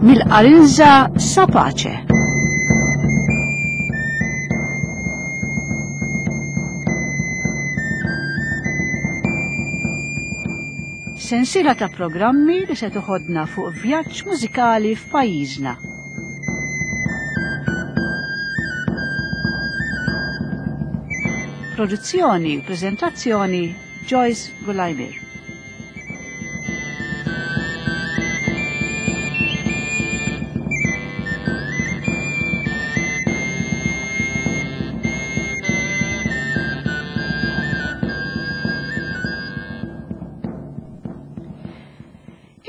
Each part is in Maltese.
Mill-Qarinża sa Pace. Sensiela ta' programmi li se toħodna fuq vjaġġ mużikali f'pajjiżna. Produzzjoni u preżentazzjoni Joyce Gulajmir.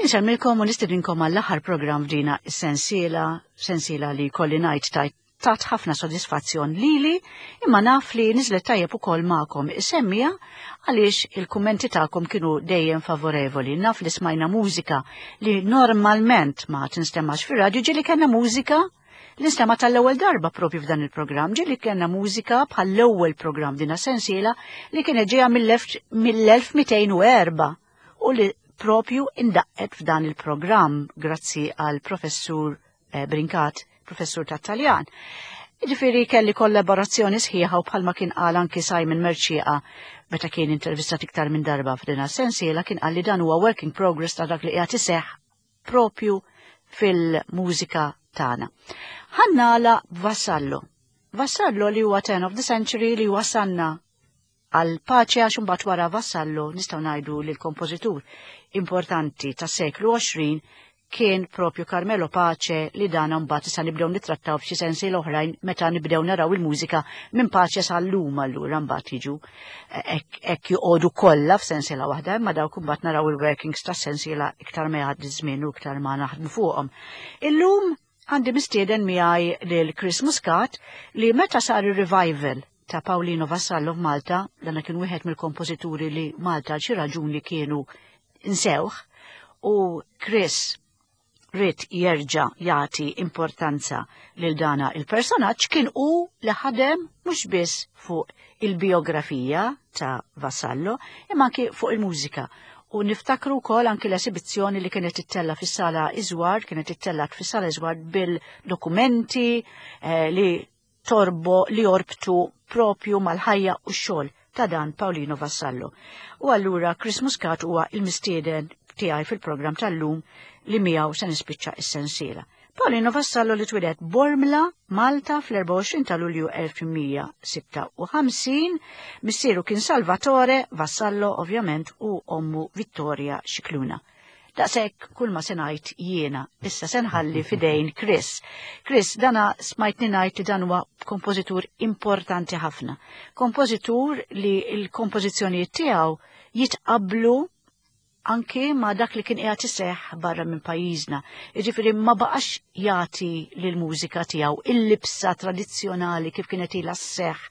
Insemmilkom u nistedinkom għall-aħħar programm f'dina is-sensiela, sensiela li kolli ngħid tajt tat ħafna sodisfazzjon lili, imma naf li niżlet tajjeb ukoll magħkom isemmija għaliex il-kummenti tagħkom kienu dejjem favorevoli. Naf li smajna mużika li normalment ma tinstemax fir-radju ġieli kellna mużika li nstema tal-ewwel darba propju f'dan il-programm, ġieli kellna mużika bħall-ewwel programm dina sensiela li kienet ġejja mill-1204 u li propju indaqqet f'dan il-programm grazzi għal professur eh, Brincat, professur ta' Taljan. Ġifiri kelli kollaborazzjoni sħiħa u bħalma kien qal anki Simon Merċieqa meta kien intervistat iktar minn darba f'dina sensiela kien qal li dan huwa work in progress ta' dak li qiegħed iseħħ propju fil-mużika tagħna. Ħannala Vassallo. Vassallo li huwa 10 of the century li wasanna għal paċi għax imbagħad wara Vassallo nistgħu ngħidu li l-kompożitur importanti tas-seklu 20 kien propju Carmelo Pace li dan mbagħad issa nibdew nittrattaw f'xi sensi l-oħrajn meta nibdew naraw il-mużika minn Pace sal-lum allura mbagħad jiġu hekk joqogħdu kollha f'sensiela waħda imma dawk imbagħad naraw il-workings tas-sensiela iktar ma jgħaddi żmien u iktar ma naħdmu fuqhom. Illum Għandi mistieden miegħi lil Chris Muscat li meta sar ir-revival ta' Paolino Vassallo f'Malta, dana kien wieħed mill-kompożituri li Malta għal xi raġuni kienu nsewh, u Chris ried jerġa' jagħti importanza lil dana il-personaġġ kien hu li ħadem mhux biss fuq il-bijografija ta' Vassallo imma anki fuq il-mużika. U niftakru wkoll anki l-esibizzjoni li kienet ittella fis-sala Iżwar, kienet ittellat fis-sala Iżwar bil-dokumenti eh, li torbo li jorbtu propju mal-ħajja u x-xogħol ta' dan Paolino Vassallo. U allura Chris Muscat huwa il-mistieden tiegħi fil-programm tal-lum li miegħu se nispiċċa is-sensiela. Paolino Vassallo li twieled Bormla, Malta fl-24 ta' Lulju 1856, missieru kien Salvatore Vassallo ovvjament u ommu Vittoria Scicluna. Daqshekk kull ma se ngħid jiena, issa se nħalli fidejn Chris. Chris, dana smajtni ngħid li dan huwa kompożitur importanti ħafna. Kompożitur li l-kompożizzjonijiet tiegħu jitqablu anki ma' dak li kien qiegħed iseħħ barra minn pajjiżna. Jiġifieri ma baqax jagħti lill-mużika tiegħu il-libsa tradizzjonali kif kienet ilha sseħħ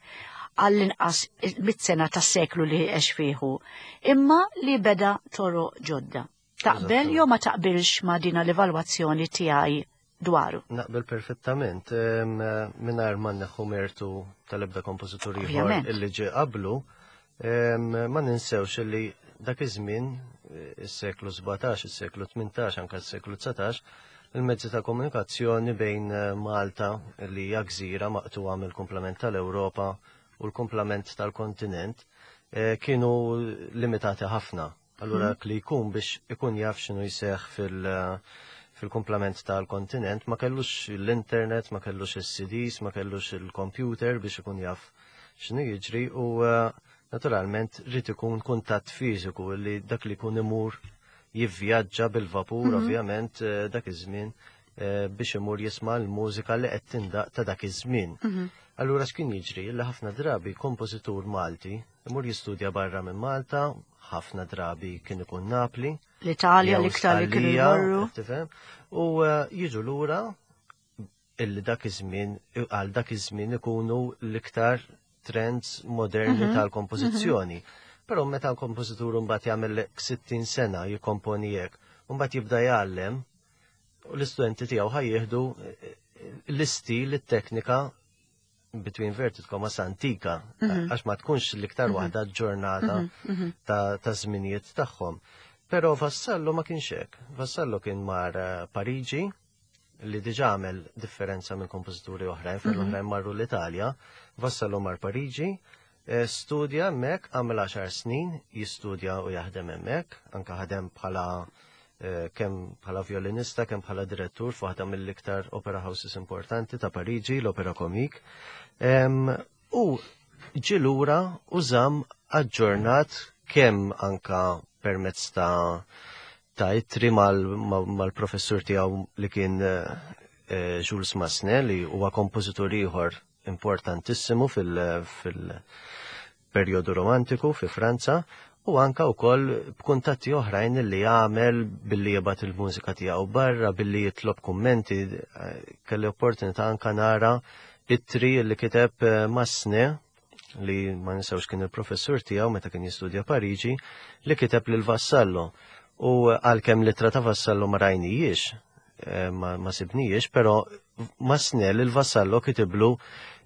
għall-inqas mit-sena tas-seklu li għex fiħu, imma li beda toroq ġodda. Taqbel jew ma taqbilx ma' dina l-evalwazzjoni tiegħi dwaru? Naqbel perfettament, mingħajr ma neħu mertu tal-ebda kompożitur ieħor illi ġie qablu, ma ninsewx illi dak iż-żmien, is-seklu 17, is-seklu 18, anke s-seklu 19, il-mezzi ta' komunikazzjoni bejn eh, Malta li hija gżira maqtuha mill-kumplament tal-Ewropa u l-kumplament tal-kontinent eh, kienu limitati ħafna. Allura dak li jkun biex ikun jaf x'inhu jseħħ fil- fil-kumplament tal-kontinent ma kellux l-internet, ma kellux il-CDs, ma kellux il-computer biex ikun jaf x'inhu jiġri u eh, naturalment rrid ikun kuntatt fiżiku li dak li jkun imur jivvjaġġa bil-vapur mm -hmm. ovvjament eh, dak iż-żmien eh, biex imur jisma' l-mużika li qed tindaq ta' dak iż-żmien. Mm -hmm. Allura x'kien jiġri li ħafna drabi kompożitur Malti imur jistudja barra minn Malta, ħafna drabi kien ikun Napli. L-Italja l-iktar li kienu jmorru. U eh, jiġu lura illi dak iż-żmien għal dak iż-żmien ikunu l-iktar trends moderni mhm. tal-kompożizzjoni. Mhm. Però meta l-kompożitur mbagħad jagħmel 60 sena jikkomponi hekk, mbagħad jibda jgħallem u l-istudenti tiegħu ħajjieħdu eh, l-istil, it-teknika between inverted commas antika, mhm. għax ma tkunx l-iktar mhm. waħda ġurnata mhm, ta' żminijiet tagħhom. Però Vassallo ma kienx hekk. Vassallo kien mar eh, Pariġi. li diġà għamel differenza minn kompożituri oħrajn, fejn oħrajn marru l-Italja, Vassallo mar Pariġi, eh, studja hemmhekk, għamel 10 snin jistudja u jaħdem hemmhekk, anka ħadem bħala eh, kemm bħala violinista, kemm bħala direttur f'waħda mill-iktar opera houses importanti ta' Pariġi, l-Opera Comique. U ġie lura u żamm aġġornat kemm anka permezz ta' ta' ittri mal-professur tiegħu li kien eh, eh, Jules Massenet li huwa kompożitur ieħor importantissimu fil-perjodu romantiku fi Franza u anka wkoll b'kuntatti oħrajn li jagħmel billi jibgħat il-mużika tiegħu barra, billi jitlob kummenti, eh, kelli opportunità anka nara ittri li kiteb Massenet li ma ninsewx kien il-professur tiegħu meta kien jistudja Pariġi, li kiteb lil Vassallo. U għalkemm l-ittra ta' Vassallo ma rajnijiex, eh, ma sibnijiex, però ma snel il-Vassallo kitiblu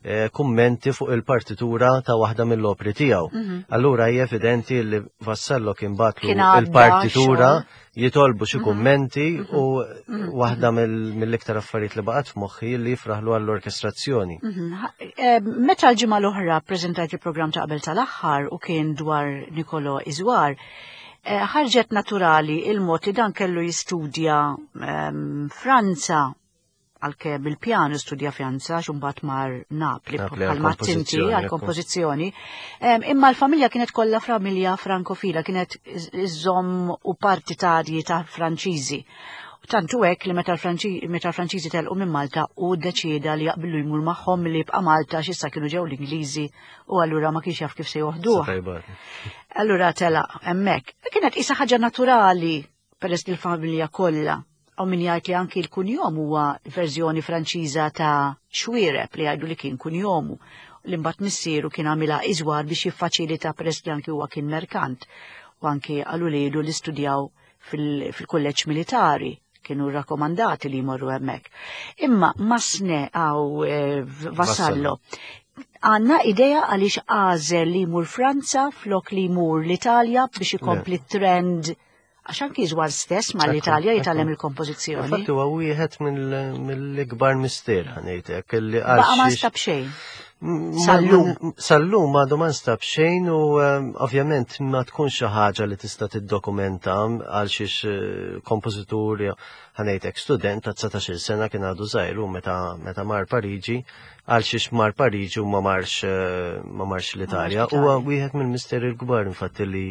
eh, kummenti fuq il-partitura ta' waħda mill-opri tiegħu. Mhm. Allura hija evidenti li Vassallo kien batlu il-partitura jitolbu xi mhm. kummenti mhm. u mhm. waħda mill-iktar affarijiet li baqgħet f'moħħi li jifraħlu għall-orkestrazzjoni. Eh, meta l-ġimgħa l-oħra ppreżentajt il-programm ta' qabel tal-aħħar u kien dwar Nikolo Iżwar, eh, ħarġet naturali il-mod li dan kellu jistudja ehm, Franza għalkemm bil-pjanu studja Franza għax imbagħad mar Napli bħal tinti għall-kompożizzjoni. Imma l-familja kienet kollha familja frankofila, kienet iżomm u partitarji ta' Franċiżi. Tantu hekk li meta l-Franċiżi telqu minn Malta u ddeċieda li jaqbillu jmur magħhom li jibqa' Malta x'issa kienu ġew l-Ingliżi u allura ma kienx jaf kif se joħduh. Allura telaq hemmhekk. Kienet qisha ħaġa naturali peress li l-familja kollha hawn min jgħid li anki l-kunjom huwa verżjoni Franċiża ta' Xwiereb li jgħidu li kien kunjomu li mbagħad missieru kien għamilha iżwar biex jiffaċilita peress li anki huwa kien merkant u anki għal uliedu li studjaw fil-kulleġġ militari kienu rakkomandati li jmorru hemmhekk. Imma Masne għaw eh, Vassallo għanna idea għaliex għażel li jmur Franza flok li jmur l-Italja biex ikompli trend għax anki żwar stess ma l-Italja jitgħallem il-kompożizzjoni. Infatti huwa wieħed mill-ikbar mister ħanejtek li għal. Baqa' ma nstab xejn. Sallum. Sallum għadu ma nstab xejn u ehm, ovvjament ma tkunx xi ħaġa li tista' tiddokumenta għal xiex eh, kompożitur ħanejtek student ta' 19-il sena kien għadu żgħir u meta meta mar Pariġi għal xiex mar Pariġi u ma marx eh, ma marx l-Italja. Huwa wieħed mill-misteri l-kbar infatti li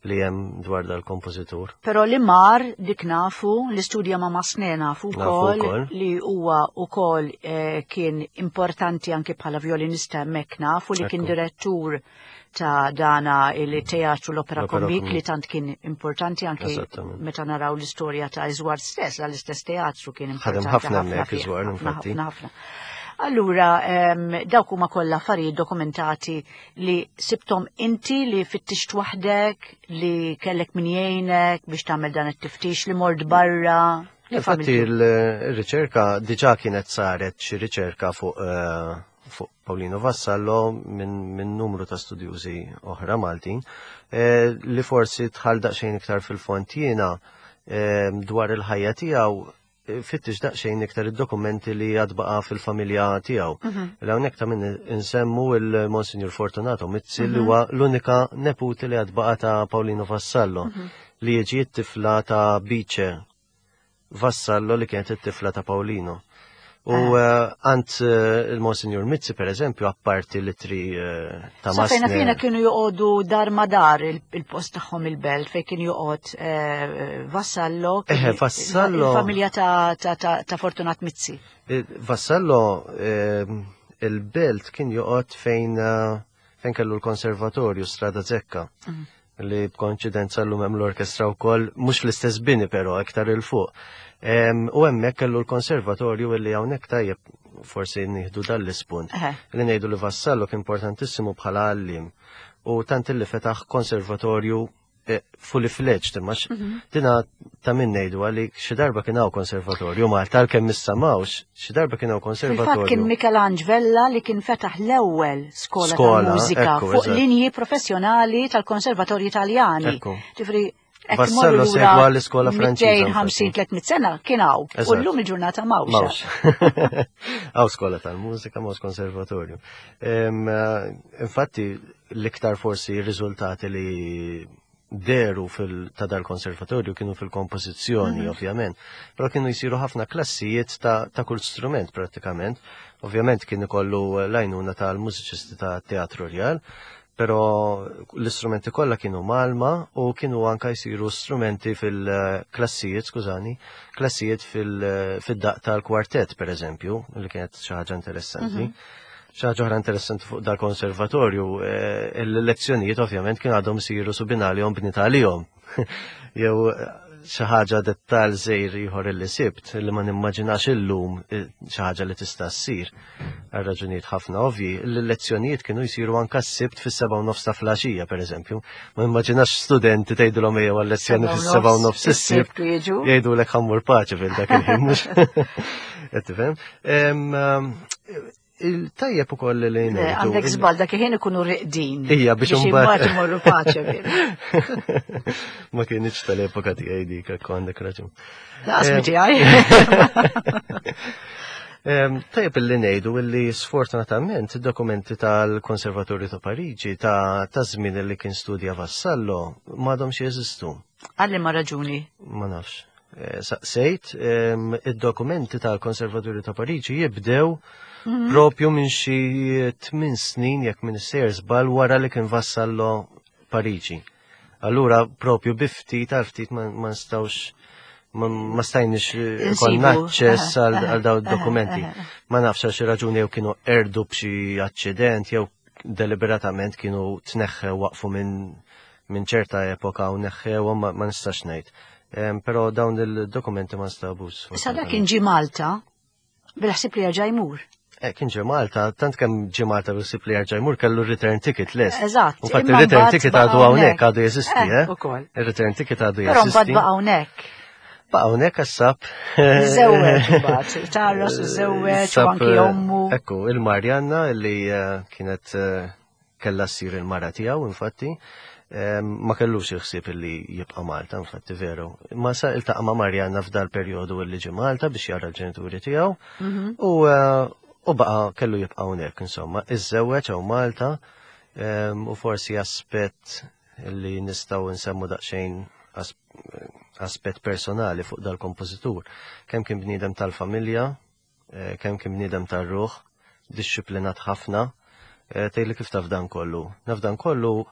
li hemm dwar dal-kompożitur. Però li mar dik nafu, li studja ma' Masne nafu wkoll li huwa wkoll eh, kien importanti anki bħala violinista hemmhekk nafu li kien direttur ta' dana il-teatru l-opera komik li tant kien importanti anki meta naraw l-istorja ta' Iżwar stess, l-istess teatru kien importanti. Ħafna hemmhekk Iżwar infatti. Ħafna. Allura, dawk huma kollha affarijiet dokumentati li sibtom inti li fittixt waħdek, li kellek min jgħinek biex tagħmel dan it-tiftix li mort barra. Infatti il-riċerka diġà kienet saret xi riċerka fuq eh, fuq Paulino Vassallo minn min numru ta' studjużi oħra Maltin eh, li forsi tħal daqsxejn iktar fil-font jiena eh, dwar il-ħajja tiegħu fittix daqsxejn iktar id-dokumenti li għad baqa' fil-familja tiegħu. Mhm. L-hawnhekk ta' min insemmu il-Monsignor Fortunato Mizzi li mhm. huwa l-unika neputi li għad baqa' ta' Paulino Vassallo mhm. li jiġi t-tifla ta' Bice Vassallo li kienet it-tifla ta' Paulino. U ah. eh, għand eh, il-Monsignor Mizzi, per eżempju, apparti li tri eh, ta' Sa fejna fina kienu joqogħdu dar ma dar il-post tagħhom il-belt fejn kien joqgħod Vassallo. Eh, Vassallo. Il-familja ta' Fortunat Mizzi. Vassallo il-belt kien joqgħod fejn fejn kellu l-konservatorju Strada Zekka. Mm. Li b'konċidenza llum hemm l-orkestra wkoll, mhux fl-istess bini però iktar il fuq. U hemmhekk kellu l-konservatorju li hawnhekk tajjeb forsi nieħdu dan l-ispunt. Li ngħidu li Vassallo kien importantissimu bħala għallim u tant li fetaħ konservatorju eh, fully fledged, imma mhm. dina ta' min ngħidu għalli xi darba kien hawn konservatorju Malta għalkemm issa m'hawnx, xi darba kien hawn konservatorju. Kien Michelangelo Vella li kien fetaħ l-ewwel skola ta' mużika fuq linji professjonali tal-Konservatorju Italjani. Ġifri. Vassallo segwa l-iskola Franċiża. 250-300 sena kien hawn. U llum il-ġurnata m'hawnx. Hawn skola tal-mużika, m'hawnx konservatorju. Eh, infatti, l-iktar forsi r-riżultati li deru fil ta' dal-konservatorju kienu fil-kompożizzjoni, mm -hmm. ovvjament, però kienu jsiru ħafna klassijiet ta', ta kull strument prattikament. Ovvjament kien ikollu l-għajnuna tal-mużiċisti ta' Teatru Rjal, però l-istrumenti kollha kienu malma u kienu anka jsiru strumenti fil-klassijiet, skużani, klassijiet fil-daq tal-kwartett per eżempju, li kienet xi ħaġa interessanti. Mm Xi ħaġa oħra interessanti fuq dal-konservatorju, eh, il-lezzjonijiet ovvjament kien għadhom isiru subinalihom bnita għalihom. Jew xi ħaġa dettal żejr ieħor illi sibt li ma nimmaġinax illum eh, xi ħaġa li tista' ssir għal raġunijiet ħafna ovvji, l-lezzjonijiet kienu jsiru anka s-sibt fis-7 nofs ta' flaxija pereżempju. Ma nimmaġinax studenti tgħidilhom ejjew għal-lezzjoni fis-7 nofs is-sibt jgħidulek ħammur paċi fil dak il-ħin mhux. Qed tifhem? Il-tajjeb ukoll li ngħidu. Għandek żball dak il-ħin ikunu riqdin. Ija biex imbagħad imorru paċe. Ma kienx tal-epoka tiegħi dik hekk għandek raġun. Laqas mi tiegħi. Tajjeb illi ngħidu illi sfortunatament id-dokumenti tal-Konservatorju ta' Pariġi ta' żmien li kien studja Vassallo m'għadhomx jeżistu. Għalli ma raġuni. Ma nafx. Eh, saqsejt, id-dokumenti tal-Konservatorju ta' Pariġi jibdew mhm. propju minn xi tmien snin jekk minn sejjer żball wara li kien vassallo Pariġi. Allura propju bi ftit għal ftit ma nistgħux ma stajniex konna aċċess għal dawn id-dokumenti. Ma nafx għal xi raġuni jew kienu erdu b'xi aċċident jew deliberatament kienu tneħħew waqfu minn minn ċerta epoka u neħħewhom ma nistax ngħid. Però dawn il-dokumenti ma nstabux. Issa dak kien ġie Malta bil-ħsieb li jerġa' jmur. Eh, kien ġie Malta, tant kemm ġie Malta bil-ħsieb li jerġa' jmur kellu return ticket lest. Eżatt. Infatti il-return ticket għadu hawnhekk għadu jeżisti, eh? eh? Ukoll. Il-return ticket għadu jeżisti. Però mbagħad baqa' hawnhekk. Baqa' hawnhekk għas-sab. Żewweġ imbagħad, tarras żewweġ u anki eh, ommu. Ekku, il-Marjanna li kienet Kellha ssir il-mara tiegħu infatti, ma kellux il-ħsieb illi jibqa' Malta, infatti veru. Ma sa iltaqa' ma' Marjanna f'dal perjodu illi ġie Malta biex jara l-ġenituri tiegħu mhm. u eh, u baqa' kellu jibqa' hawnhekk insomma. Iżżewweġ hawn Malta u forsi aspett li nistgħu nsemmu daqsxejn aspett personali fuq dal-kompożitur. Kemm kien bniedem tal-familja, Eh, kemm kien bniedem tar-ruħ, dixxiplinat ħafna, eh, tgħidli kif taf dan kollu. Naf dan kollu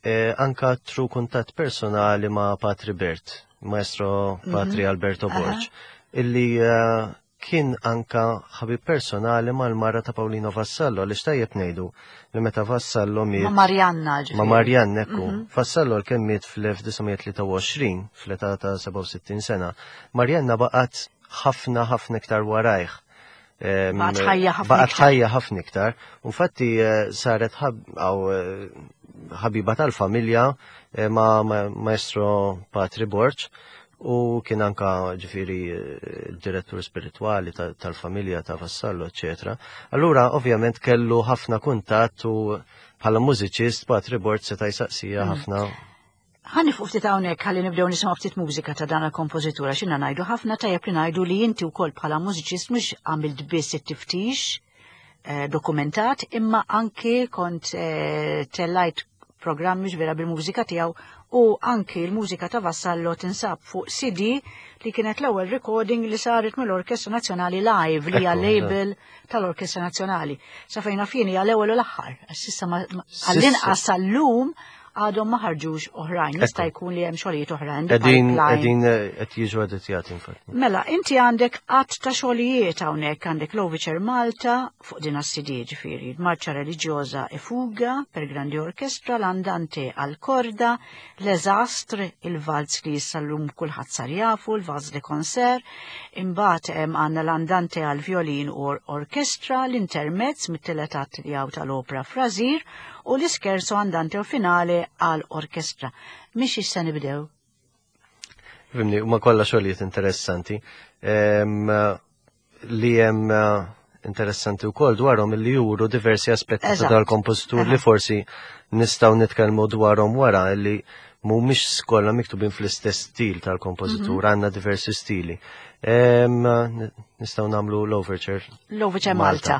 eh, anka tru kuntatt personali ma' Patri Bert, maestro mhm. Patri Alberto Borg, illi kien anka ħabib personali mal-mara ta' Paulino Vassallo, li xtajjeb ngħidu li meta Vassallo miet. Ma' Marianna ġifieri. Ma' Marianna, ekku. Mhm. Vassallo l-kemm miet fl-1923, fl-età ta' 67 sena. Marianna baqgħet ħafna ħafna iktar warajh. Baqgħet ħajja ħafna. Baqgħet ħajja ħafna iktar. Infatti eh, saret eh, ħabiba tal-familja eh, ma' maestro Patri Borġ u kien anka ġifiri direttur spirituali tal-familja ta' Vassallo, eccetera. Allura, ovvjament, kellu ħafna kuntatt u bħala mużiċist Patri Borġ seta' jsaqsija mm. ħafna Ħa nifqu ftit hawnhekk ħalli nibdew nisimgħu ftit mużika ta' dan il-kompożitur għax inna ngħidu ħafna tajjeb li ngħidu li inti wkoll bħala mużiċist mhux għamilt biss it-tiftix eh, dokumentat imma anki kont eh, tellajt programmi vera bil-mużika tiegħu u anki l-mużika ta' Vassallo tinsab fuq CD li kienet l-ewwel recording li saret mill-Orkestra Nazzjonali Live li hija label tal-Orkestra Nazzjonali. Sa fejn naf jien hija l-ewwel u l-aħħar. S'issa għall-inqas sal-lum għadhom ma ħarġux oħrajn. Jista' jkun li hemm xogħlijiet oħrajn. Qegħdin qegħdin eh, qed jiġu editjati infatti. Mela, inti għandek qatt ta' xogħlijiet hawnhekk għandek l-Overture Malta fuq din CD ġifieri, Marċa Reliġjoża e Fuga per Grandi Orkestra, l-Andante għal Korda, l-Eżastr, il-valz li issa llum kulħadd sar jafu, il-Vals de Concert, imbagħad hemm għandna l-Andante għal violin u orkestra, l-Intermezz mit-tielet att li hawn tal-opra Frazir u l-Ischerzo Andante u Finale għal orkestra. Mhix issa nibdew? Fimni, huma kollha xogħlijiet interessanti. Li hemm eh, interessanti wkoll dwarhom li juru diversi aspetti ta' dal-kompożitur li forsi nistgħu nitkellmu dwarhom wara li Mhumiex kollha miktubin fl-istess stil tal-kompożitur, mhm. għandna diversi stili. Nistgħu nagħmlu l-overture. L-overture Malta. Malta.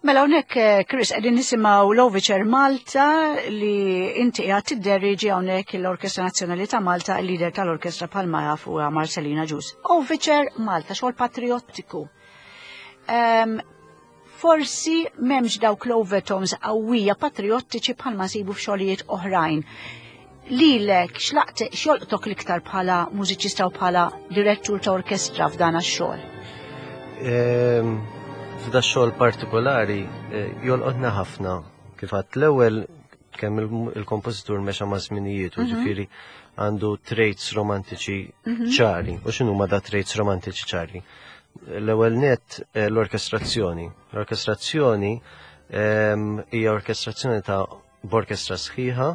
Mela hawnhekk eh, Chris qegħdin nisimgħu l-Overture Malta li inti qiegħed tidderiġi hawnhekk l-Orkestra Nazzjonali ta' Malta, il-leader tal-orkestra bħalma jaf huwa Marcelina Ġus. Overture Malta, xogħol patriottiku. Ehm, forsi m'hemmx dawk l-overtones qawwija patriottiċi bħalma nsibu f'xogħlijiet oħrajn. Lilek x'laqt x'jolqtok l-iktar bħala mużiċista u bħala direttur ta' orkestra f'dan għax-xogħol? Ehm, f'da xogħol partikolari eh, jolqotna ħafna kif għadt l-ewwel kemm il-kompożitur mexa ma' żminijiet, mhm. ġifieri għandu traits romantiċi mhm. ċari. U x'inhu ma da traits romantiċi ċari? L-ewwel net eh, l-orkestrazzjoni. L-orkestrazzjoni ehm, hija orkestrazzjoni ta' b'orkestra sħiħa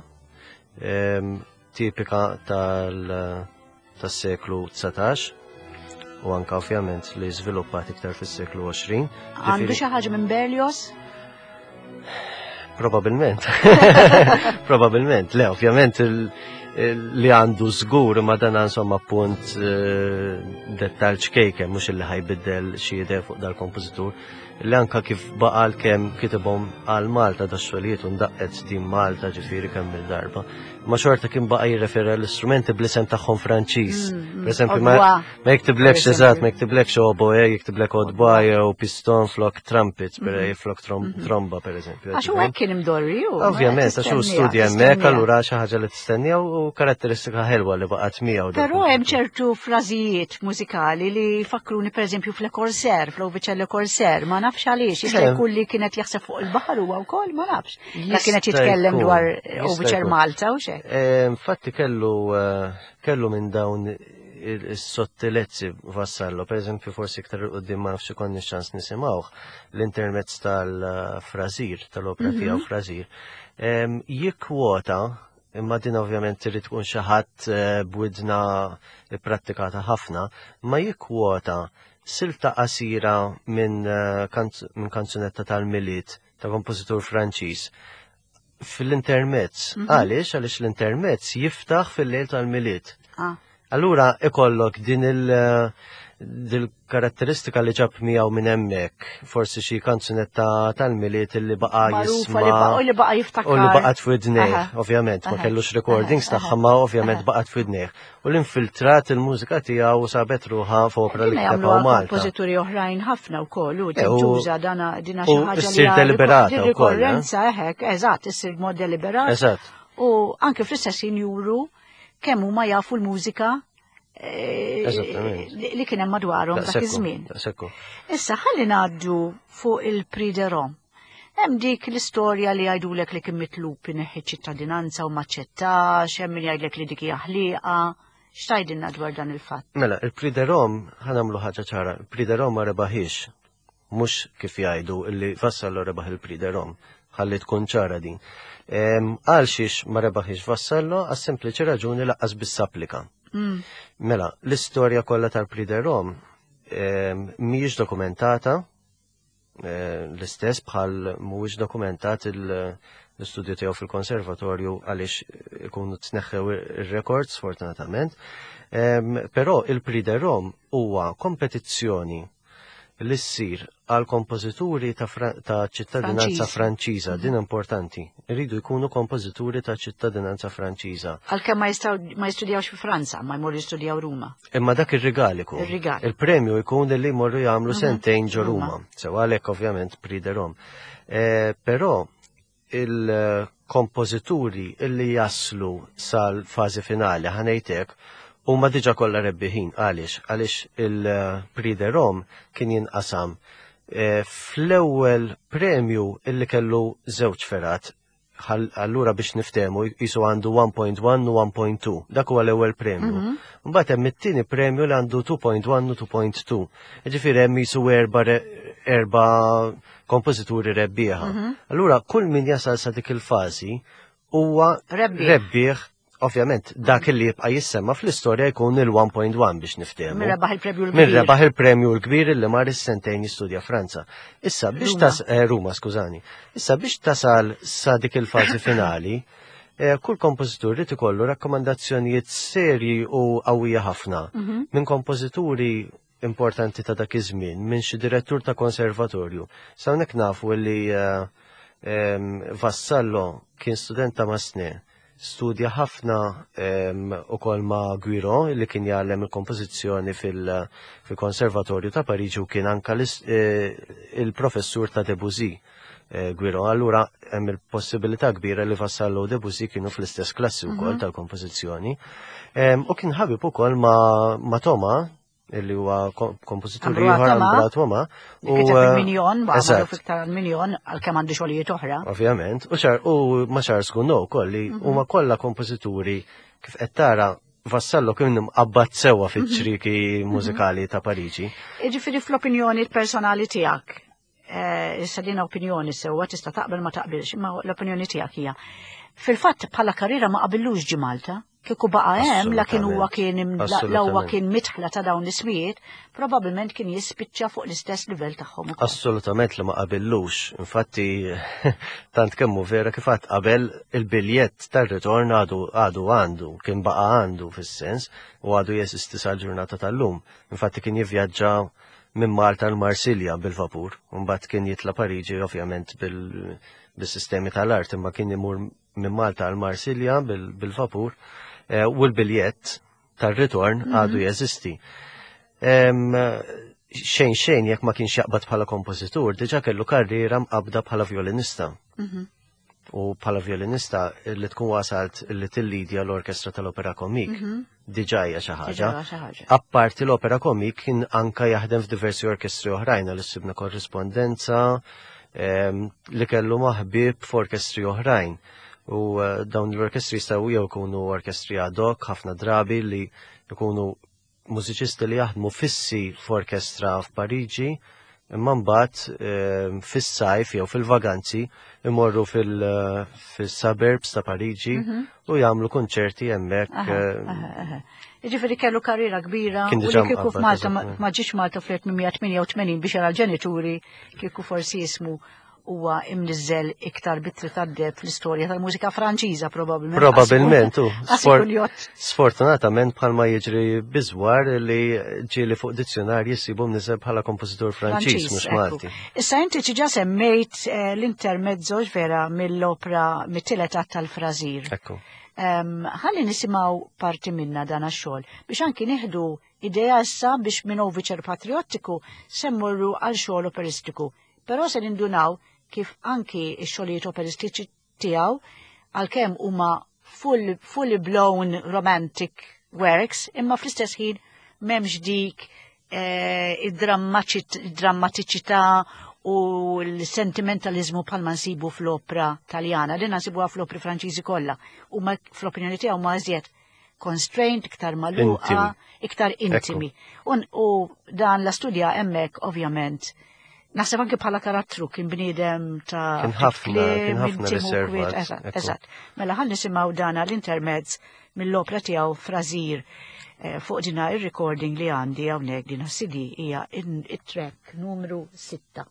ehm, tipika tal-seklu 19 u anka ovvjament li żviluppat iktar fis-seklu 20. Għandu xi ħaġa minn Berlioz? Probabilment. Probabilment, le, ovvjament li għandu żgur ma dan insomma punt eh, dettal ċkejken mhux illi ħajbiddel xi idea fuq dal-kompożitur li anka kif baqa' kemm kitibhom għal Malta da xogħlijiet u ndaqqet din Malta ġifieri kemm il-darba. Ma xorta kien baqa' jirreferi l-istrumenti bl-isem tagħhom Franċiż. Mm, mm. Per eżempju, ma jiktiblekx eżatt, ma jiktiblekx oboe, jiktiblek odba jew piston flok trumpet, per mm-hmm. flok mm-hmm. tromba per eżempju. Għax u hekk kien imdorri u. Ovvjament, għax hu studja hemmhekk allura xi ħaġa li tistennija u karatteristika ħelwa li baqgħet miegħu. Però hemm ċertu frażijiet mużikali li jfakkruni pereżempju f'Le Corsair, fl-Oviċ Le Corsair, ma nafx għaliex, jista' jkun li kienet jaħseb fuq il-baħar huwa wkoll, ma nafx. La kienet jitkellem dwar Oviċer Malta u xek. Eh, infatti kellu eh, kellu minn dawn is-sottilezzi vassallo, per eżempju forsi iktar il-qoddim ma nafx ikonni ċans nisimgħuh l-intermezz tal-frażir, tal-opra mhm. tiegħu frażir, jikkwota imma din ovvjament trid tkun xi ħadd eh, b'widna ipprattikata ħafna, ma jikkwota silta qasira minn eh, min kanzunetta tal-Milied ta' kompożitur Franċiż fil-intermezz. Mhm. Għaliex? Għaliex l-intermezz jiftaħ fil-lejl tal-Milied. Ah. Allura ikollok din il- dil-karatteristika li ġab miegħu minn hemmhekk, forsi xi kanzunetta tal-Milied li baqa' jisma' u li baqa' jiftakar. U li baqgħet f'widnejh, ovvjament, ma kellux recordings tagħha ma ovvjament baqgħet f'widnejh. U l-infiltrat il-mużika tiegħu u sabet ruħha f'opra li kiteb hawn Malta. Kompożituri oħrajn ħafna wkoll u eh, tintuża dana dina xi ħaġa li ssir deliberata wkoll. Eh? Rikorrenza hekk, eżatt, issir b'mod deliberat. Eżatt. U anke fl-istess juru kemm huma jafu l-mużika eh, li kien hemm madwarhom dak iż-żmien. Issa ħalli ngħaddu fuq il-Prix de Rome. Hemm dik l-istorja li jgħidulek li kien mitlub ineħħi ċittadinanza u maċċettax, hemm min jgħidlek li dik hija ħlieqa. X'tgħidilna dwar dan il-fatt? Mela, il-Prix de Rome ħa nagħmlu ħaġa ċara, il-Prix de Rome ma rebaħiex. Mhux kif jgħidu illi Vassallo rebaħ il-Prix de Rome. Ħalli tkun ċara din. Għal xiex ma rebaħiex Vassallo għas sempliċi raġuni laqqas biss applika. Mela, l-istorja kollha tal-Prix de Rome mhijiex dokumentata, Eh, l-istess bħal mhuwiex dokumentat l-istudju tiegħu fil-konservatorju għaliex ikunu tneħħew ir-records fortunatament. Però il-Prix de Rome huwa kompetizzjoni li ssir għal kompożituri ta' ċittadinanza Franċiża, din importanti. Iridu jkunu kompożituri ta' ċittadinanza Franċiża. Għalkemm ma jistgħu ma jistudjawx fi Franza, ma jmorru jistudjaw Ruma. Imma dak ir-rigal ikun. Ir-rigal. Il-premju jkun li jmorru jagħmlu mhm. sentejn ġo Ruma. Sew għalhekk ovvjament Prix de Rome. Eh, però il-kompożituri illi jaslu sal-fażi finali ħanejtek huma diġà kollha rebbiħin għaliex għaliex il-Prix de Rome kien jinqasam eh, fl-ewwel premju illi kellu żewġ ferat allura biex niftemu jisu għandu 1.1 u 1.2 dak huwa l-ewwel premju. Mhm. Mbagħad hemm it-tieni premju li għandu 2.1 u 2.2. Ġifieri hemm jisu erba' erba' kompożituri rebbieħa. Mhm. Allura kull min jasal sa dik il-fażi huwa rebbieħ Ovvjament, dak li jibqa' jissemma fl-istorja jkun il-1.1 biex niftehmu. Min rebaħ il-premju l-kbir. Min rebaħ il-premju l-kbir li mar is-sentejn jistudja Franza. Issa biex tas eh, Ruma, skużani. Issa biex tasal sa dik il-fażi finali, eh, kull kompożitur rid ikollu rakkomandazzjonijiet serji u qawwija ħafna mhm. minn kompożituri importanti ta' dak iż-żmien minn xi direttur ta' konservatorju. Sa hawnhekk nafu li eh, Vassallo kien student ta' Masne, studja ħafna ukoll ma' Guiro li kien jgħallem il-kompożizzjoni fil-Konservatorju ta' Pariġi u kien anka eh, il-professur ta' Debussy. Eh, Guiro, allura hemm il-possibilità kbira li Vassallo u Debussy kienu fl-istess klassi wkoll mhm. tal-kompożizzjoni. U kien ħabib ukoll ma' Toma, illi huwa kompożitur ieħor Ambra Toma. U eh, il-Minjon, magħruf iktar għal-Minjon għalkemm għandu xogħlijiet oħra. Ovvjament, u ċar u ma Charles Gounod ukoll li mhm. huma kollha kompożituri kif qed tara Vassallo kien imqabbad sewwa mhm. fiċ-ċriki mużikali ta' Pariġi. Jiġifieri fl-opinjoni personali tiegħek, eh, issa din opinjoni sewwa tista' taqbel ma taqbilx, imma l-opinjoni tiegħek hija. Fil-fatt bħala karriera ma qabilux ġi Malta, kieku baqa' hemm la kien huwa kien la huwa kien mitħla ta' dawn l-ismijiet, probabbilment kien jispiċċa fuq l-istess livell tagħhom ukoll. Assolutament li ma qabillux. Infatti tant kemmu vera kif għad qabel il-biljett tar-ritorn għadu għadu għandu, kien baqa' għandu fis-sens u għadu jeżisti sal-ġurnata tal-lum. Infatti kien jivvjaġġa minn Malta l Marsilja bil-vapur, mbagħad kien jitla Pariġi ovvjament bil-sistemi tal-art, imma kien imur minn Malta għal Marsilja bil-vapur eh, u l-biljett tar-ritorn mhm. għadu jeżisti. Xejn xejn jekk ma kienx jaqbad bħala kompożitur, diġà kellu karriera mqabda bħala violinista. Mhm. U bħala violinista li tkun wasalt li tillidja l-orkestra tal-Opera Komik mhm. diġà hija xi ħaġa. Apparti l-Opera Komik kien anka jaħdem f'diversi orkestri oħrajn għal sibna korrispondenza ehm, li kellu maħbib f'orkestri oħrajn. U eh, dawn l-orkestri jistgħu jew ikunu orkestri ad hoc ħafna drabi li jkunu mużiċisti li jaħdmu fissi f'orkestra f'Pariġi. Imma mbagħad ehm, fis-sajf jew fil-vaganzi imorru fil-suburbs ta' Pariġi mhm. u jagħmlu kunċerti hemmhekk. Ehm, Jiġifieri kellu karriera kbira u li kieku f'Malta ma ġiex Malta fl-1888 biex jara l-ġenituri kieku forsi jismu huwa imniżżel iktar bitri tad-deb fl-istorja tal-mużika Franċiża probabbilment. Probabbilment, u. Sfortunatament bħalma jiġri biżwar li ġieli fuq dizzjonarji jsibu mniżżel bħala kompożitur Franċiż mhux Malti. Issa inti ġa semmejt eh, l-intermezzo vera mill-opra mit-tielet att tal-Frażir. Ekku. Ħalli nisimgħu parti minna dan għax-xogħol biex anki nieħdu idea issa biex minn overture patriottiku se mmorru għal xogħol operistiku. Però se nindunaw kif anki x-xogħlijiet operistiċi tiegħu għalkemm huma full, fully blown romantic works, imma fl-istess ħin m'hemmx dik eh, id-drammatiċità u l-sentimentalizmu bħalma nsibu fl-opra taljana, li nsibuha fl-opri Franċiżi kollha. U fl-opinjoni tiegħu ma iżjed constrained, iktar magħluqa, iktar intimi. U dan la studja hemmhekk ovvjament Naħseb anke bħala karattru kien bniedem ta' kien ħafna, kien ħafna riservat. Eżatt. Mela ħan nisimgħu dana l-intermezz mill-opra tiegħu Frażir eh, fuq dina ir-recording li għandi hawnhekk dina CD hija it-track numru 6.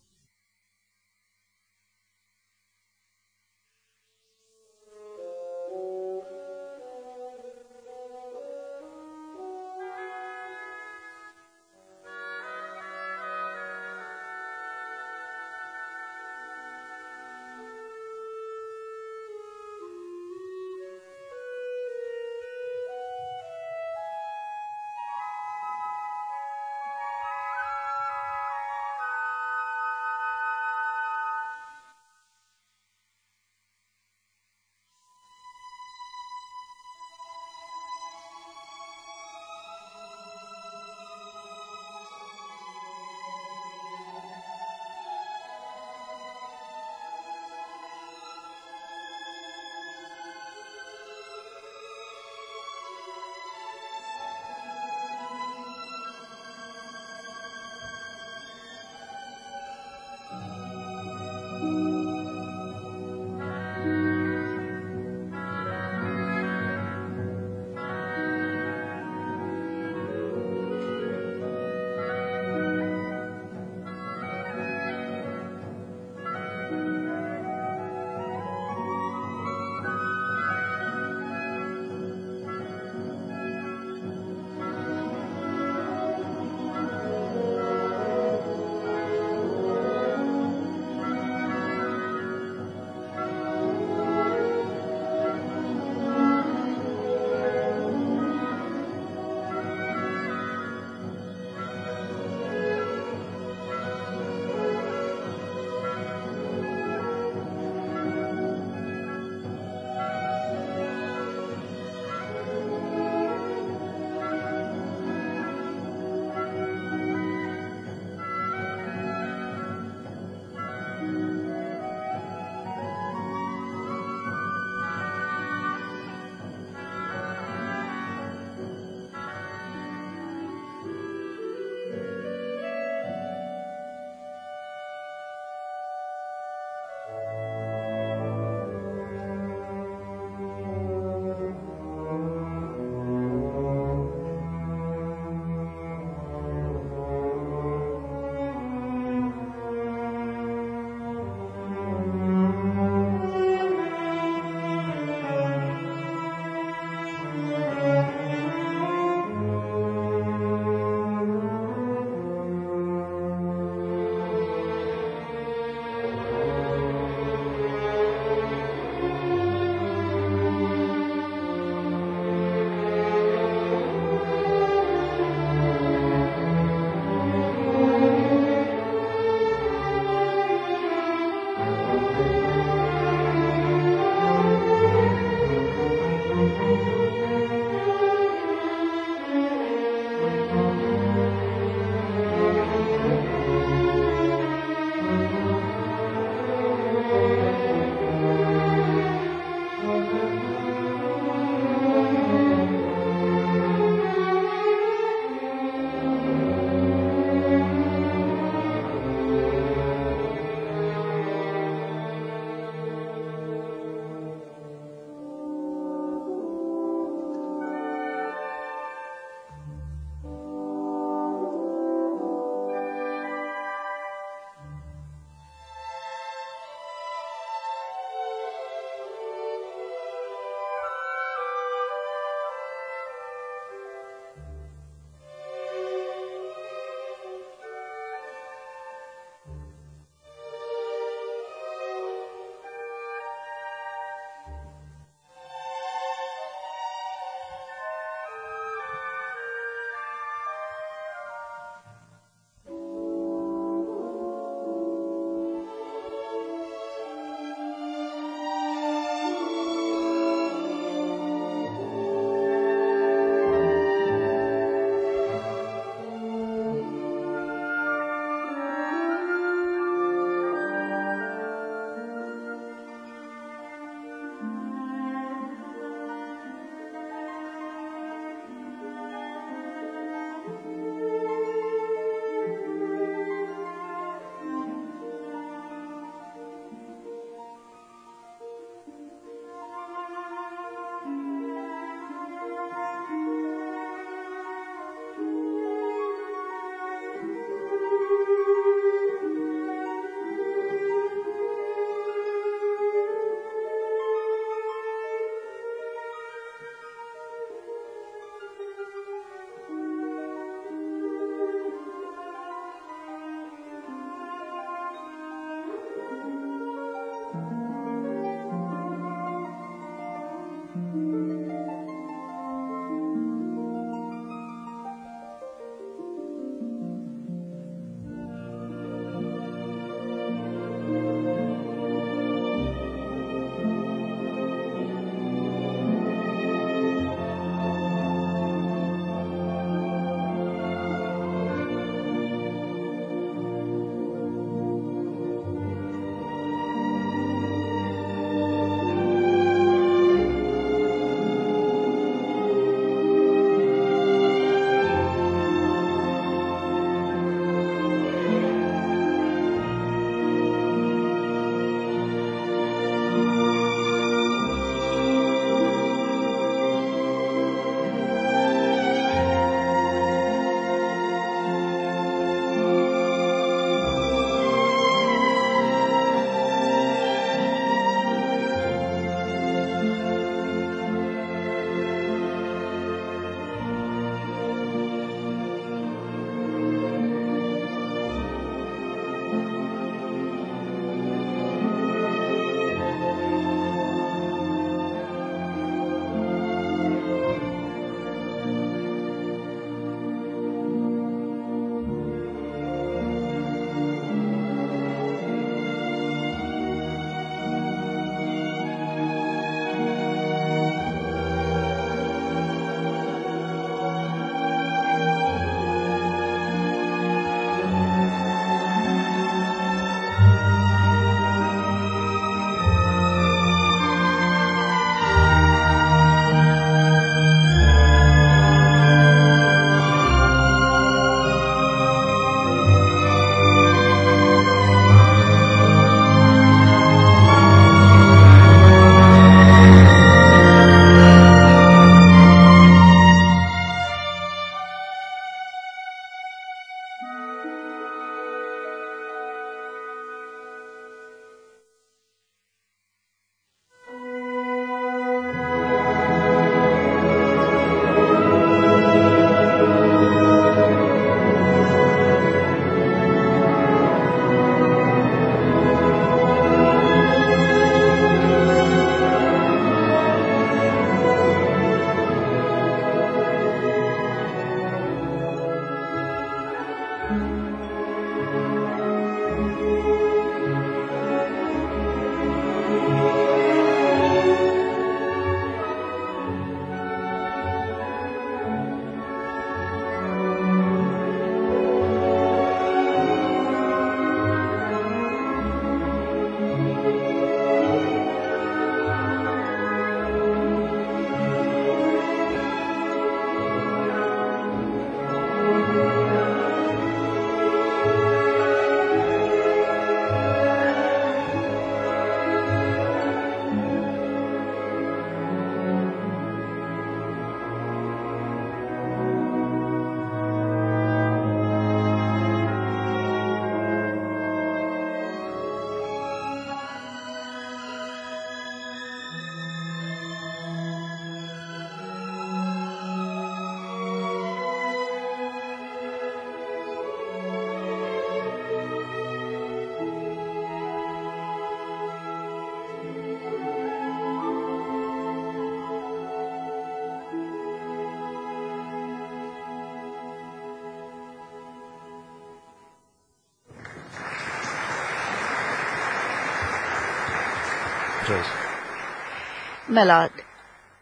Joyce. Mela,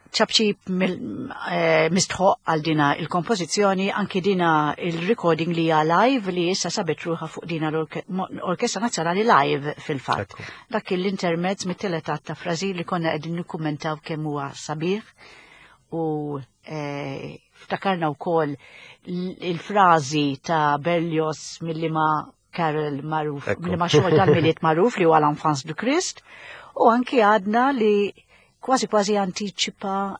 ċapċip mistħoq għal dina il-kompożizzjoni, anki dina il-recording li hija live li issa sabet ruħa fuq dina l-Orkestra Nazzjonali live fil-fatt. Dak l-intermezz mit-tielet att ta' Frażi li konna qegħdin nikkummentaw kemm huwa sabiħ u ftakarna wkoll il-frażi ta' Berlioz milli ma Carol magħruf, milli ma xogħol tal-Milied magħruf li huwa l-Enfance du Christ, u anki għadna li kważi kważi antiċipa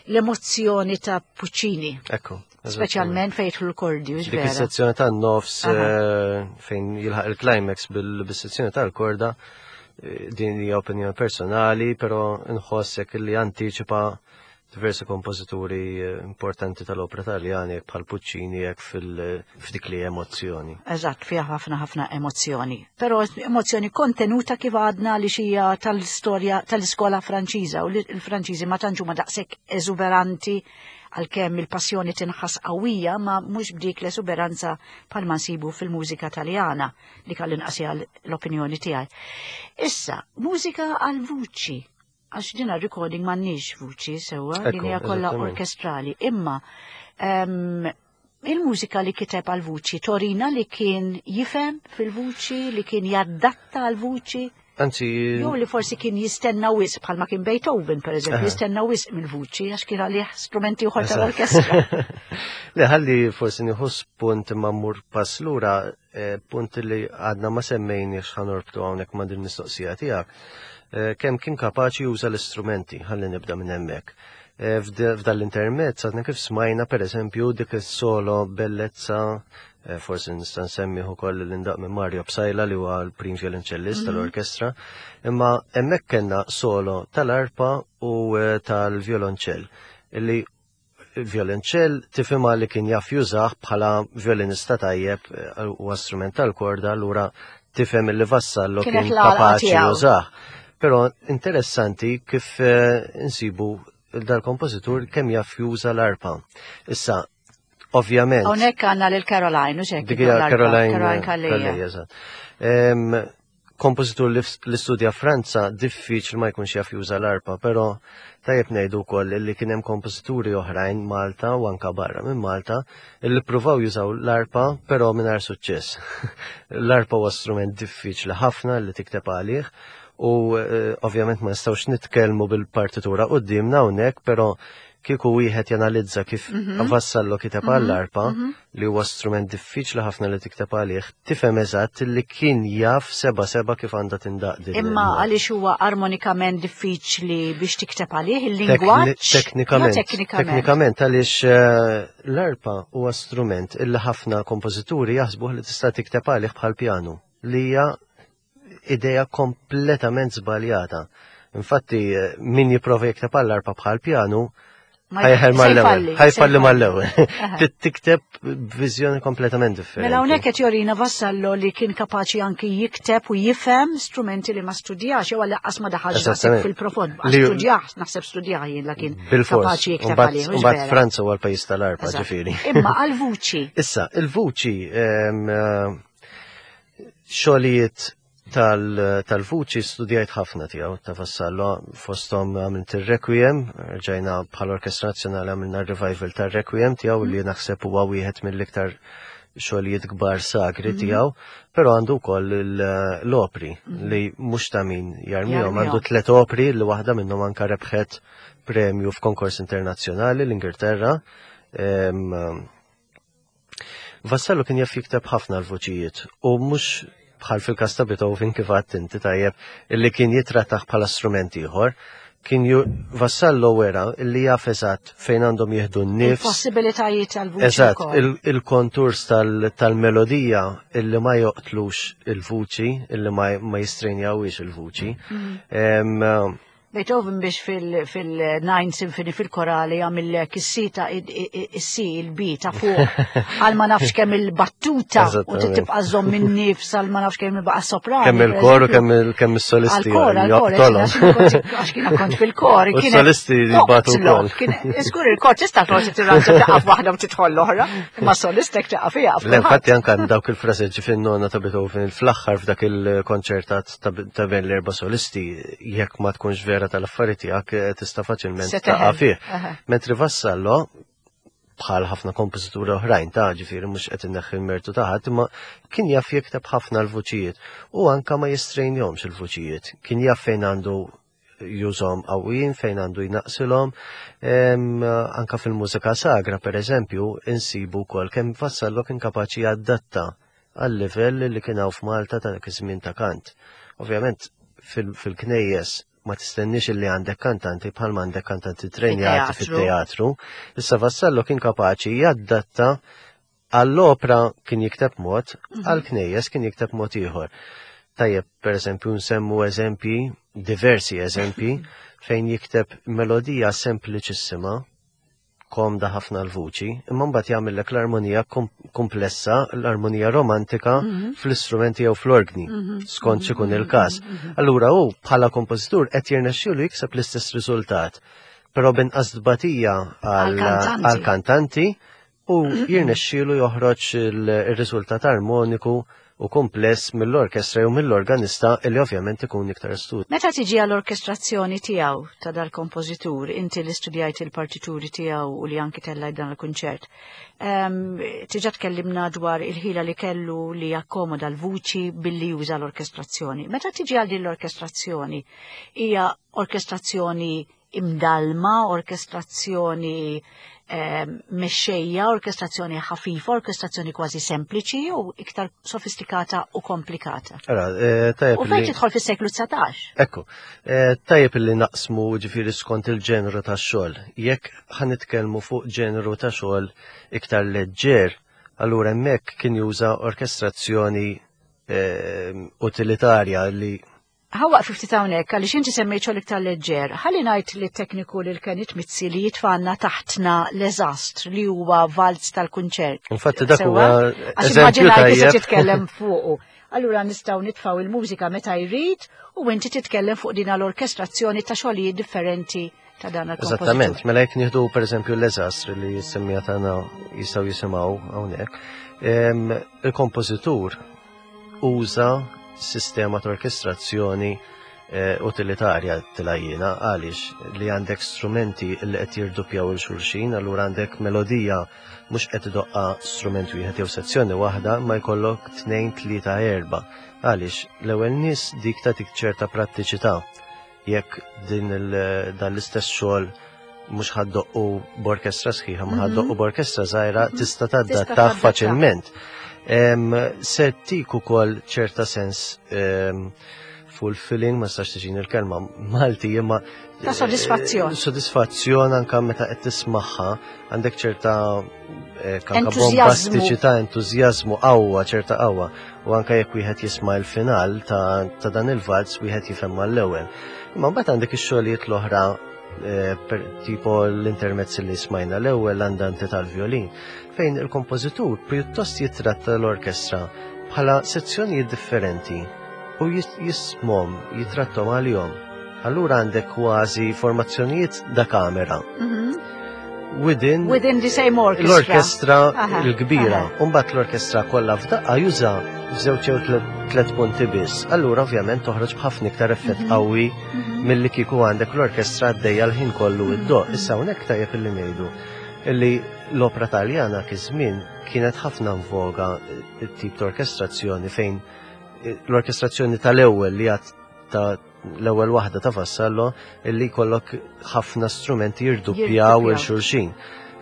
l-emozzjoni ta' Puccini. Ekku. Speċjalment fejn jidħlu l-kordi, Dik is-sezzjoni tan-nofs fejn jilħaq il-climax bil-sezzjoni tal-korda, din hija opinjoni personali, però nħossek li antiċipa diversi kompożituri importanti tal-opra Taljani, jekk bħal Puccini, jekk f'dik li emozzjoni. Eżatt, fiha ħafna ħafna emozzjoni. Però emozzjoni kontenuta kif għadna li xija tal-istorja tal-iskola Franċiża u li l-Franċiżi ma tantx huma daqshekk eżuberanti għalkemm il-passjoni tinħass qawwija, ma mhux b'dik l-eżuberanza bħalma nsibu fil-mużika Taljana, li għall-inqas hija l-opinjoni tiegħi. Issa, mużika għal vuċi. Għax dina recording m'għandniex vuċi sewwa, din hija kollha orkestrali, imma il-mużika li kiteb għal vuċi torina li kien jifhem fil-vuċi, li kien jaddatta għal vuċi. Anzi, jew li forsi kien jistenna wisq bħalma kien Beethoven, per eżempju, jistenna wisq mill-vuċi għax kien għalih strumenti oħra tal-orkestra. Le, ħalli forsi nieħu spunt imma mmur pass lura, punt li għadna ma semmejniex ħanorbtu hawnhekk ma' din mistoqsija tiegħek. Kemm kien kapaċi juża l-istrumenti, ħalli nibda minn hemmhekk. F'dan l-intermezz għadna kif smajna per eżempju dik is-solo bellezza, forsi nista' nsemmi ukoll li ndaq minn Mario Psaila li huwa l-prim violonċellist tal-orkestra, imma hemmhekk kellna solo tal-arpa u tal-violonċell illi violonċell tifhimha li kien jaf jużah bħala violinista tajjeb u strument tal-korda, allura tifhem li Vassallo Kienet kien l-għalqa kapaċi tiegħu. jużah. Però interessanti kif insibu dal-kompożitur kemm jaf juża l-arpa. Issa, ovvjament. Hawnhekk għandna lil Caroline, u x'hekk Dik hija l-arpa, Caroline, Caroline Calleja. Calleja, eżatt. Kompożitur li studja Franza diffiċli ma jkunx jaf juża l-arpa, però tajjeb ngħidu wkoll li kien hemm kompożituri oħrajn Malta u anka barra minn Malta li ppruvaw jużaw l-arpa però mingħajr suċċess. L-arpa huwa strument diffiċli ħafna li tikteb għalih u ovvjament ma nistgħux nitkellmu bil-partitura quddiemna hawnhekk, però kieku wieħed janalizza kif Vassallo kiteb għall-arpa, li huwa strument diffiċli ħafna li tikteb għalih, tifhem eżatt li kien jaf seba seba kif għandha tindaq din Imma il-nota. għaliex huwa armonikament diffiċli biex tikteb għalih il-lingwaġġ? Jo teknikament. Teknikament għaliex l-arpa huwa strument illi ħafna kompożituri jaħsbuh li tista' tikteb għalih bħal pjanu, li hija idea kompletament żbaljata. Infatti, min jipprova jikteb għall-arpa bħal pjanu, Ma ħajħel se mal-ewwel, jfalli, ħajfalli se jfalli. mal-ewwel. Tikteb b'viżjoni kompletament differenti. Mela hawnhekk qed jorina Vassallo li kien kapaċi anki jikteb u jifhem strumenti li ma studjax, jew għal ma daħalx naħseb fil-profond. Ma studjax, naħseb studjax jien la kien kapaċi jikteb għalih, mhux Mbagħad vera. Franza huwa l-pajjiż tal-arpa, ġifieri. Imma għal-vuċi. Issa, il-vuċi, xogħlijiet tal-vuċi studjajt ħafna tiegħu ta' Vassallo, fosthom għamilt ir-Requiem, rġajna bħal Orkestra Nazzjonali għamilna r-revival tar-Requiem tiegħu li naħseb huwa wieħed mill-iktar xogħlijiet kbar sagri tiegħu, però għandu wkoll l-opri li mhux ta' min jarmihom, għandu 3 opri li waħda minnhom anka rebħet premju f'konkors internazzjonali l-Ingilterra. Vassallo kien jaf jikteb ħafna l-vuċijiet u mhux bħal fil-każ ta' Beethoven kif għadt inti tajjeb illi kien jitrattaħ bħala strument ieħor. Kien Vassallo wera illi jaf eżatt fejn għandhom jieħdu n-nifs. Il-possibilitajiet tal-vuċi Eżatt, wkoll. il-konturs tal-melodija illi ma joqtlux il-vuċi, illi ma jistrenjawix il-vuċi. Beethoven biex fil-Nine Symphony fil-korali għamillek is-sita is-C il-B ta' fuq għal ma nafx kemm il-battuta u tibqa' żomm in-nifs għal ma nafx kemm il-baqa' soprani. Kemm il-kor u kemm is-solisti. Għal-kor, għal-kor, għax kiena kont fil-kor. U s-solisti jibatu wkoll. Żgur il-kor tista' forsi tirranġa taqaf waħda u tidħol l-oħra, imma solistek taqaf hija. Le, infatti anke dawk il-fraseġġi fin-nona ta' Beethoven fl-aħħar f'dak il-konċertat ta' bejn l-erba' solisti jekk ma tkunx vera tal-affari tiegħek eh, tista' faċilment taqa' fih. Mentri Vassallo bħal ħafna kompożituri oħrajn ta' ġifieri mhux qed inneħħi l-mertu ta' ħadd, imma kien jaf jikteb ħafna l-vuċijiet u anka ma jistrejnjomx il-vuċijiet. Kien jaf fejn għandu jużhom qawwijin fejn għandu jnaqsilhom. Anka fil-mużika sagra, per eżempju, insibu wkoll kemm Vassallo kien kapaċi jadatta għal-livell li kien hawn f'Malta ta' dak iż-żmien ta' kant. Ovvjament fil-knejjes ma tistenniex li għandek kantanti bħal għandek kantanti trenjati fit-teatru. Issa Vassallo kien kapaċi jadatta għall-opra kien jikteb mod, mhm. għall-knejjes kien jikteb mod ieħor. Tajjeb, per eżempju, nsemmu eżempji, diversi eżempji, fejn jikteb melodija sempliċissima, komda ħafna l-vuċi, imma mbagħad jagħmellek l-armonija komplessa, l-armonija romantika mhm. fl-istrumenti jew fl-orgni, mhm. skont x'ikun il-każ. Mhm. Allura hu bħala kompożitur qed jirnexxielu jikseb l-istess riżultat, però binqas tbatija għall-kantanti u jirnexxielu joħroġ il-riżultat armoniku u kumpless mill-orkestra jew mill-organista illi ovvjament ikun iktar stut. Meta tiġi għall-orkestrazzjoni tiegħu ta' dal-kompożitur, inti li studjajt il-partituri tiegħu u li anki tellajt dan il-kunċert, ehm, tiġa tkellimna dwar il-ħila li kellu li jakkomoda l-vuċi billi juża l-orkestrazzjoni. Meta tiġi għal din l-orkestrazzjoni, hija orkestrazzjoni imdalma, orkestrazzjoni eh, mexxejja, orkestrazzjoni ħafifa, orkestrazzjoni kważi sempliċi u iktar sofistikata u komplikata. Ara, eh, tajjeb. U fejn tidħol fis-seklu 19. Ekku, eh, tajjeb li naqsmu ġifieri skont il-ġenru tax-xogħol. Jekk ħanitkellmu fuq ġenru ta' xogħol iktar leġġer, allura hemmhekk kien juża orkestrazzjoni utilitarja li Ħa waqfu ftit hawnhekk għaliex inti semmejt xogħol iktar leġġer. Ħalli ngħid li tekniku lil Kenneth Mizzi li jitfanna taħtna l-eżastr li huwa valz tal-kunċert. Infatti dak huwa eżempju tajjeb. titkellem fuqu. Allura nistgħu nitfgħu il-mużika meta jrid u inti titkellem fuq din l-orkestrazzjoni ta' xogħlijiet differenti ta' dan il-kompożitur. Eżattament, mela jekk nieħdu pereżempju l-eżastr li jissemmija tagħna jistgħu jisimgħu hawnhekk. Il-kompożitur uża sistema ta' orkestrazzjoni eh, utilitarja tilajjina għaliex li għandek strumenti li qed jirdupjaw il xulxin, allura għandek melodija mhux qed idoqqa strument wieħed jew sezzjoni waħda, ma jkollok tnejn, tlieta, erba'. Għaliex l-ewwel nies dik tagħtik ċerta prattiċità jekk din dan l-istess xogħol mhux ħaddoqqu b'orkestra sħiħa, ma mhm. ħaddoqqu b'orkestra żgħira mhm. tista' tadattah faċilment. Se tik ukoll ċerta sens fulfilling, ma stax tiġini l-kelma Malti, imma ta' sodisfazzjon. Eh, sodisfazzjon anka meta qed tismagħha għandek ċerta eh, kanka bombastiċità, entużjażmu qawwa, ċerta qawwa. U anka jekk wieħed jisma' l-final ta', ta dan il-valz wieħed jifhem mal-ewwel. Imma mbagħad għandek ix-xogħlijiet l-oħra eh, tipo l-intermezz li smajna l-ewwel l-andanti tal-violin, fejn il-kompożitur pjuttost jitratta l-orkestra bħala sezzjonijiet differenti u jismhom, jitrattom għalihom. Allura għandek kważi formazzjonijiet da kamera. Mhm. Within, Within the same orchestra. L-orkestra l-kbira. Umbat l-orkestra kollha f'daqqa juża f'żewġ jew tliet punti biss. Allura ovvjament toħroġ b'ħafna iktar effett mhm. qawwi mhm. milli kieku għandek l-orkestra għaddejja l-ħin kollu mhm. id-doq. Issa hawnhekk tajjeb illi ngħidu illi l-opra Taljana kiż-żmien kienet ħafna voga tip ta' orkestrazzjoni fejn l-orkestrazzjoni tal-ewwel li għad ta' l-ewwel waħda ta' Vassallo illi jkollok ħafna strumenti jirduppjaw il xulxin.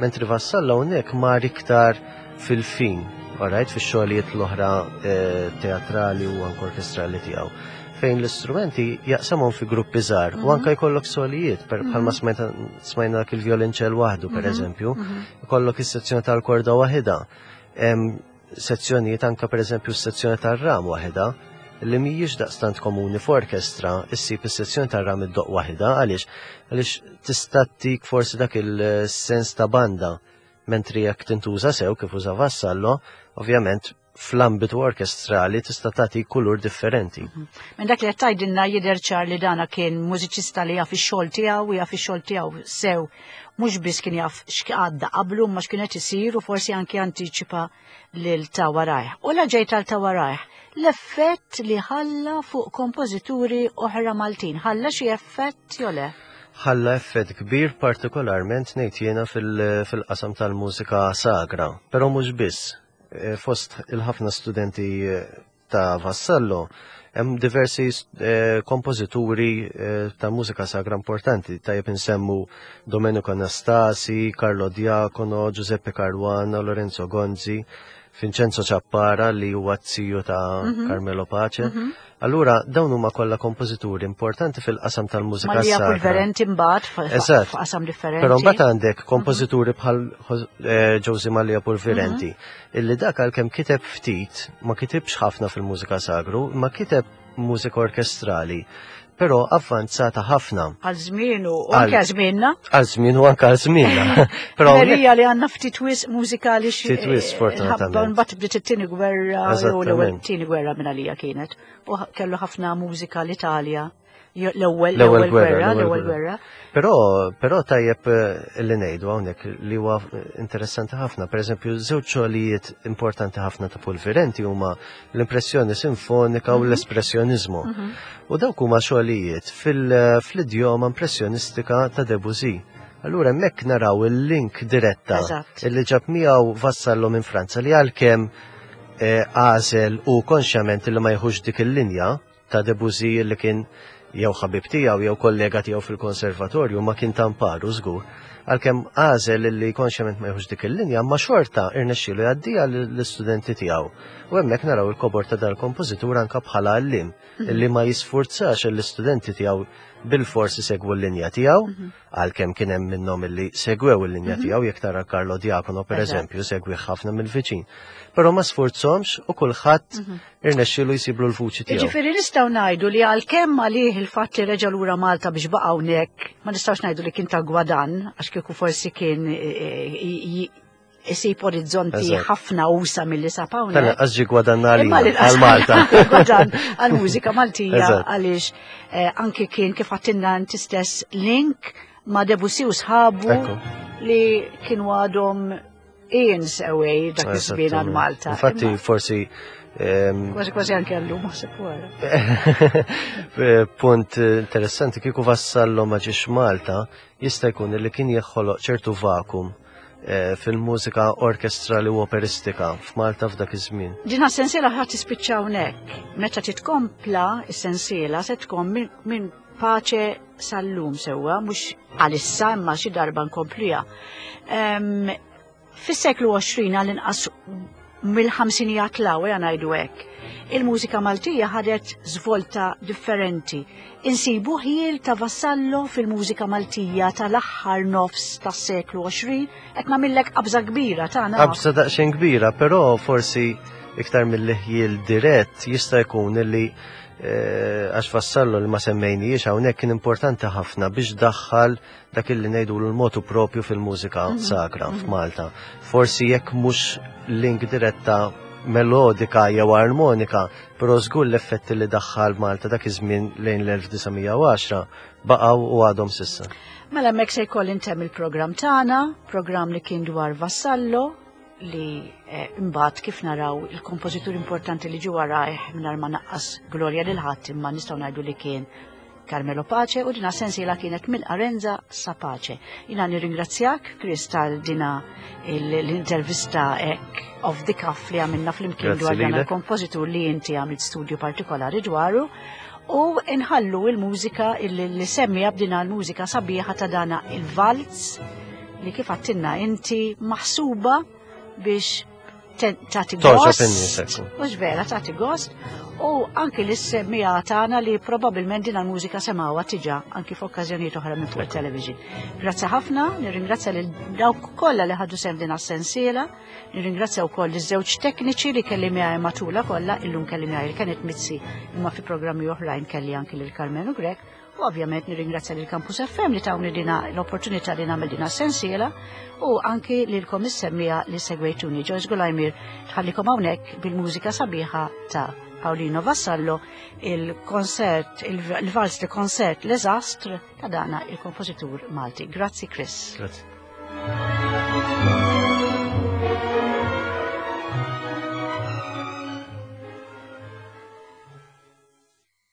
Mentri Vassallo hawnhekk mar iktar fil-fin, alright, fix-xogħlijiet l-oħra eh, teatrali u anke orkestrali tiegħu fejn l-istrumenti jaqsamhom fi gruppi żgħar u mhm. anke jkollok solijiet per bħalma mhm. smajna dak il-violinċell waħdu per mhm. eżempju, jkollok is-sezzjoni tal-korda waħida. Sezzjonijiet anke per eżempju s-sezzjoni tar-ram waħida. li mhijiex daqstant komuni f'orkestra issib is-sezzjoni tar-ram iddoqq waħidha għaliex għaliex tista' tik forsi dak il-sens ta' banda mentri jekk tintuża sew kif uża Vassallo, ovvjament fl-ambitu orkestrali tista' tagħti kulur differenti. Mhm. Minn dak li qed tgħidilna jidher ċar li dana kien mużiċista li jaf ix-xogħol tiegħu u jaf ix-xogħol tiegħu sew mhux biss kien jaf x'għadda qablu ma x'kien qed isir u forsi anke antiċipa lil ta' warajh. U la ġejt għal ta' warajh, l-effett li ħalla fuq kompożituri oħra Maltin, ħalla xi effett jew le? Ħalla effett kbir partikolarment ngħid jiena fil-qasam tal-mużika sagra, però mhux biss. Eh, fost il-ħafna studenti eh, ta' Vassallo, hemm diversi eh, kompożituri ta' mużika sagra importanti, tajjeb insemmu Domenico Anastasi, Carlo Diacono, Giuseppe Caruana, Lorenzo Gonzi, Vincenzo Ciappara li huwa t-ziju ta' mhm. Carmelo Pace. Mhm. Allura dawn huma kollha kompożituri importanti fil-qasam tal-mużika Malija sagra. Pulverenti mbagħad f'qasam differenti. Però mbagħad għandek kompożituri bħal eh, Josie Mallia Pulverenti, mhm. illi dak għalkemm kiteb ftit, ma kitibx ħafna fil-mużika sagru, ma kiteb mużika orkestrali, però avvanzata ħafna. Għal żmienu u anke żmienna. Għal żmienu anke għal żmienna. Però Marija li għandna ftit wisq mużikali xi. Ftit wisq eh, fortunatament. Mbagħad bdiet it-tieni gwerra jew l-ewwel tieni gwerra minn għalija kienet. U kellu ħafna mużika l-Italja. L-ewwel l-ewwel gwerra, l-ewwel gwerra. Però però tajjeb eh, li ngħidu hawnhekk li huwa interessanti ħafna. Pereżempju, żewġ xogħlijiet importanti ħafna ta' Pulvirenti huma l-impressjoni sinfonika u mhm. l-espressjonizmu. Mhm. U dawk huma xogħlijiet fil-idjoma impressjonistika ta' Debussy. Allura hemmhekk naraw il-link diretta illi ġab miegħu Vassallo minn Franza li għalkemm eh, għażel u konxjament li ma jħux dik il-linja ta' Debussy li kien jew ħabib tiegħu jew kollega tiegħu fil-konservatorju ma kien tamparu żgur. Għalkemm għażel li konxjament ma jħux dik il-linja, ma xorta irnexxielu jgħaddiha l-istudenti tiegħu. U hemmhekk naraw il-kobor ta' dal-kompożitur anka bħala għallim mhm. li ma jisfurzax l-istudenti tiegħu bil-fors isegwu l-linja tiegħu, mhm. għalkemm kien hemm minnhom illi segwew il-linja mhm. tiegħu jekk tara Carlo Diacono pereżempju segwi ħafna mill-viċin. Però ma sfurzhomx u kulħadd mhm. irnexxielu jsiblu l-vuċi tiegħu. Jiġifieri nistgħu ngħidu li għalkemm għalih il-fatt li reġa' lura Malta biex baqa' hawnhekk, ma nistgħux ngħidu li kien ta' gwadan għax kieku forsi kien eh, eh, isib orizzonti ħafna usa mill-li sab hawnhekk. Tal-inqas ġie gwadanna għal Malta. Gwadan għal-mużika Maltija għaliex eh, anki kien kif għattinna inti stess link ma' Debussy u sħabu li kienu għadhom eons away dak iż-żmien għal Malta. Infatti forsi Kważi kważi anke għallu ma sepp wara. Eh, punt interessanti kieku vassallo ma ġiex Malta jista' jkun li kien jeħħoloq ċertu vakum Eh, fil-mużika orkestrali u operistika f'Malta f'dak iż-żmien. Dina sensiela ħadd tispiċċa hawnhekk. Meta titkompla s-sensiela se tkun minn paċe sal-lum sewwa, mhux għalissa imma xi darba nkompliha. Fis-seklu 20 għall-inqas mill-ħamsinijat l ejja ngħidu hekk. Il-mużika Maltija ħadet żvolta differenti. Insibu ħjiel ta' Vassallo fil-mużika Maltija tal-aħħar nofs tas-seklu 20 qed nagħmillek qabża kbira tagħna. Qabża daqsxejn kbira, però forsi iktar mill-ħjiel dirett jista' jkun illi eh, għax Vassallo li ma semmejniex hawnhekk kien importanti ħafna biex daħħal dak illi ngħidu l-motu propju fil-mużika mhm. sagra mhm. f'Malta. Forsi jekk mhux link diretta melodika jew armonika, però żgur l-effetti li daħħal Malta dak iż-żmien lejn l-1910 baqgħu u għadhom sissa. Mela hemmhekk se jkolli ntemm il-programm tagħna, programm li kien dwar Vassallo, li eh, imbagħad kif naraw il-kompożitur importanti li ġie warajh mingħajr ma naqqas glorja lil ħadd imma nistgħu ngħidu li kien Carmelo Pace u dina sensiela kienet mill Arenza sa Pace. Jina nirringrazzjak, Chris, tal dina l-intervista ek of the cuff li għamilna fl-imkien dwar dan il-kompożitur li inti għamilt studju partikolari dwaru u nħallu il-mużika li semmi b'dina l-mużika sabiħa ta' dana il-valz li kif għattinna inti maħsuba biex tagħti gost. Mhux vera tagħti gost. U anki l-semmija tagħna li probabbilment din il-mużika semgħuha tiġa anki f'okkażjonijiet oħra minn fuq il-television. Grazzi ħafna, nirringrazzja lil dawk kollha li ħadu sem din as-sensiela, nirringrazzja wkoll iż-żewġ tekniċi li kelli miegħi matula kollha, illum kelli miegħi Kenneth Mizzi imma fi programmi oħrajn kelli anki lil Karmenu Grek. U ovvjament nirringrazzja lil Campus FM li tawni dina l-opportunità li nagħmel dina sensiela u anki lilkom is-semmija li segwejtuni. Joyce Gulajmir tħallikom hawnhekk bil-mużika sabiħa ta' Paolino Vassallo, il-konsert, il-vals de concert Les Astres ta' dana il-kompożitur Malti. Grazzi Chris. Grazzi.